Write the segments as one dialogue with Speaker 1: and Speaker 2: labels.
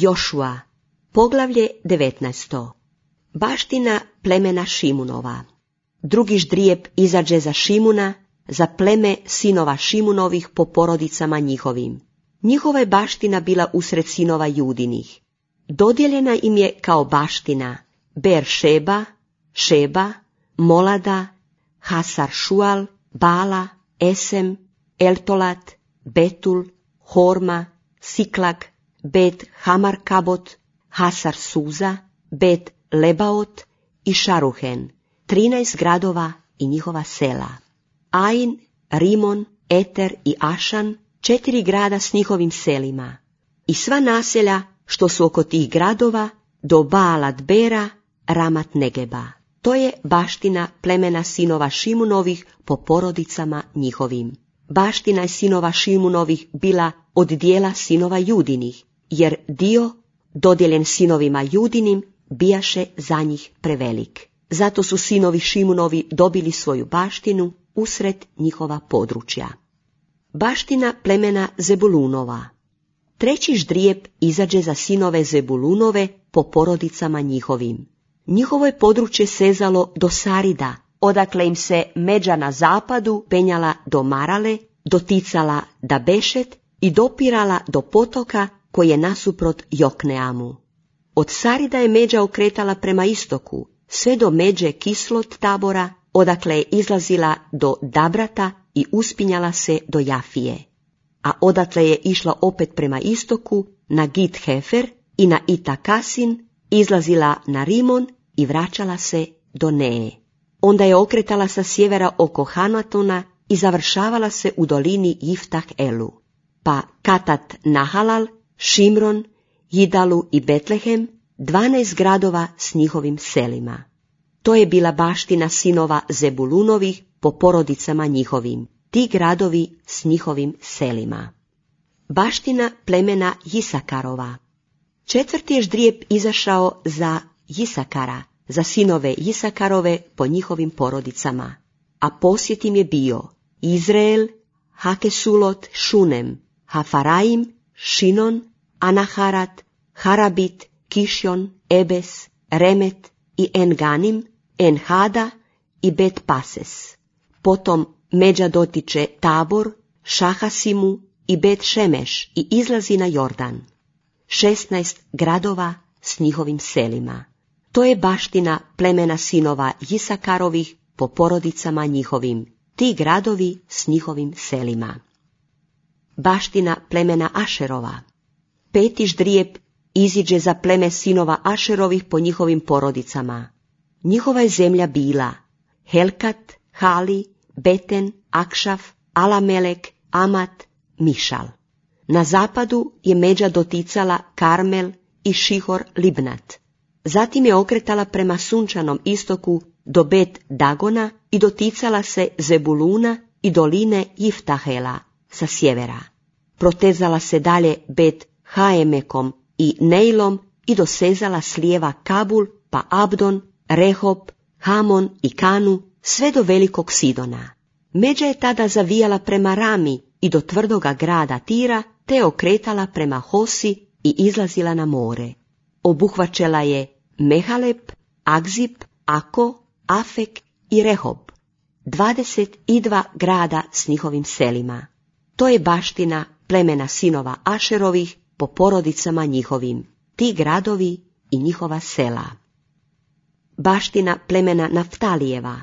Speaker 1: Jošua, poglavlje 19. Baština plemena Šimunova. Drugi ždrijeb izađe za Šimuna, za pleme sinova Šimunovih po porodicama njihovim. Njihova je baština bila usred sinova Judinih. Dodijeljena im je kao baština Ber-šeba, Šeba, Molada, Hasar Šual, Bala, Esem, Eltolat, Betul, Horma, Siklag, Bet Hamar Kabot, Hasar Suza, Bet Lebaot i Šaruhen, 13 gradova i njihova sela. Ain, Rimon, Eter i Ašan, 4 grada s njihovim selima. I sva naselja što su oko tih gradova do Baalat Bera, Ramat Negeba. To je baština plemena sinova Šimunovih po porodicama njihovim. Baština je sinova Šimunovih bila od dijela sinova Judinih, jer dio dodijeljen sinovima Judinim bijaše za njih prevelik. Zato su sinovi Šimunovi dobili svoju baštinu usred njihova područja. Baština plemena Zebulunova. Treći ždrijeb izađe za sinove Zebulunove po porodicama njihovim. Njihovo je područje sezalo do Sarida, odakle im se međa na zapadu penjala do Marale, doticala da Bešet i dopirala do potoka koji je nasuprot Jokneamu. Od Sarida je međa okretala prema istoku, sve do međe Kislot Tabora, odakle je izlazila do Dabrata i uspinjala se do Jafije. A odatle je išla opet prema istoku na Git Hefer i na Itakasin, izlazila na Rimon i vraćala se do Neje. Onda je okretala sa sjevera oko Hanatona i završavala se u dolini Jiftah Elu. Pa Katat Nahalal, Šimron, Jidalu i Betlehem, 12 gradova s njihovim selima. To je bila baština sinova Zebulunovih po porodicama njihovim, ti gradovi s njihovim selima. Baština plemena Jisakarova. Četvrti je ždrijeb izašao za Jisakara, za sinove Jisakarove po njihovim porodicama. A posjet im je bio Izrael, Hakesulot, Šunem, Hafaraim, Šinon, Anaharat, Harabit, Kišjon, Ebes, Remet i Enganim, Enhada i Bet Pases. Potom međa dotiče Tabor, Šahasimu i Bet Šemeš i izlazi na Jordan. 16 gradova s njihovim selima. To je baština plemena sinova Jisakarovih po porodicama njihovim, ti gradovi s njihovim selima. Baština plemena Ašerova. Peti ždrijeb iziđe za pleme sinova Ašerovih po njihovim porodicama. Njihova je zemlja bila Helkat, Hali, Beten, Akšaf, Alamelek, Amat, Mišal. Na zapadu je međa doticala Karmel i Šihor Libnat. Zatim je okretala prema sunčanom istoku do Bet Dagona i doticala se Zebuluna i doline Jiftahela sa sjevera. Protezala se dalje Bet Haemekom i Neilom i dosezala s lijeva Kabul, pa Abdon, Rehob, Hamon i Kanu, sve do velikog Sidona. Međa je tada zavijala prema Rami i do tvrdoga grada Tira, te okretala prema Hosi i izlazila na more. Obuhvaćala je Mehalep, Agzib, Ako, Afek i Rehob, 22 grada s njihovim selima. To je baština plemena sinova Ašerovih po porodicama njihovim, ti gradovi i njihova sela. Baština plemena Naftalijeva.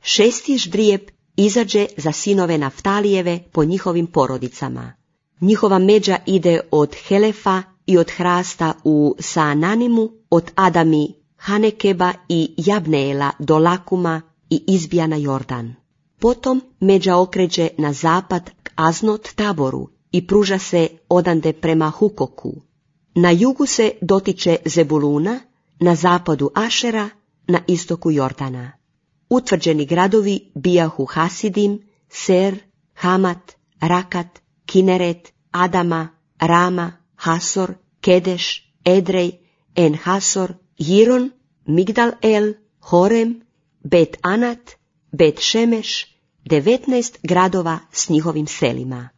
Speaker 1: Šesti ždrijeb izađe za sinove Naftalijeve po njihovim porodicama. Njihova međa ide od Helefa i od hrasta u Saananimu, od Adami, Hanekeba i Jabneela do Lakuma i izbija na Jordan. Potom međa okreće na zapad k Aznot Taboru i pruža se odande prema Hukoku. Na jugu se dotiče Zebuluna, na zapadu Ašera, na istoku Jordana. Utvrđeni gradovi bijahu Hasidim, Ser, Hamat, Rakat, Kineret, Adama, Rama, Hasor, Kedeš, Edrej, En-Hasor, Jiron, Migdal El, Horem, Bet Anat, Bet Šemeš, 19 gradova s njihovim selima.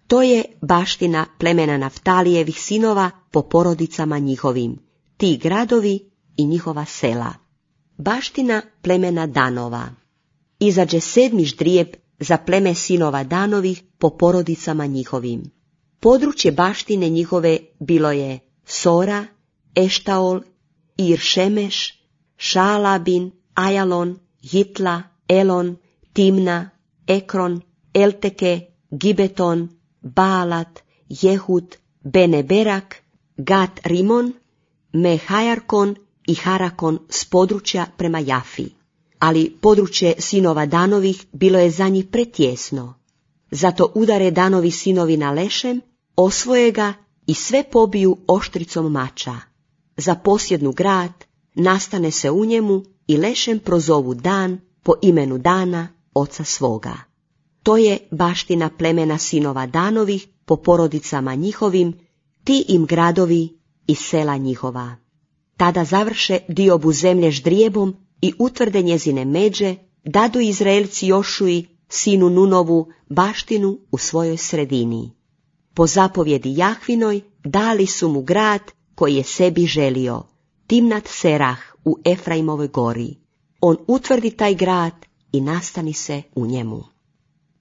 Speaker 1: To To je baština plemena Naftalijevih sinova po porodicama njihovim, ti gradovi i njihova sela. Baština plemena Danova. Izađe 7. ždrijeb za pleme sinova Danovih po porodicama njihovim. Područje baštine njihove bilo je Sora, Eštaol, Ir-Šemeš, Šaalabin, Ajalon, Hitla, Elon, Timna, Ekron, Elteke, Gibeton, Baalat, Jehud, Beneberak, Gat Rimon, Mehajarkon i Harakon s područja prema Jafi. Ali područje sinova Danovih bilo je za njih pretjesno. Zato udare Danovi sinovi na Lešem, osvoje ga i sve pobiju oštricom mača. Zaposjednu grad, nastane se u njemu i Lešem prozovu Dan po imenu Dana, oca svoga. To je baština plemena sinova Danovih po porodicama njihovim, ti im gradovi i sela njihova. Tada završe diobu zemlje ždrijebom i utvrde njezine međe, dadu Izraelci Jošuji, sinu Nunovu, baštinu u svojoj sredini. Po zapovjedi Jahvinoj dali su mu grad koji je sebi želio, Timnat Serah u Efraimovoj gori. On utvrdi taj grad i nastani se u njemu.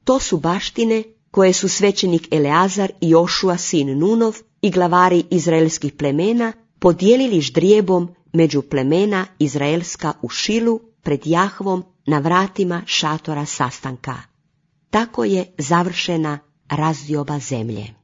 Speaker 1: To su baštine koje su svećenik Eleazar i Jošua sin Nunov i glavari izraelskih plemena podijelili ždrijebom među plemena izraelska u Šilu pred Jahvom na vratima šatora sastanka. Tako je završena razdioba zemlje.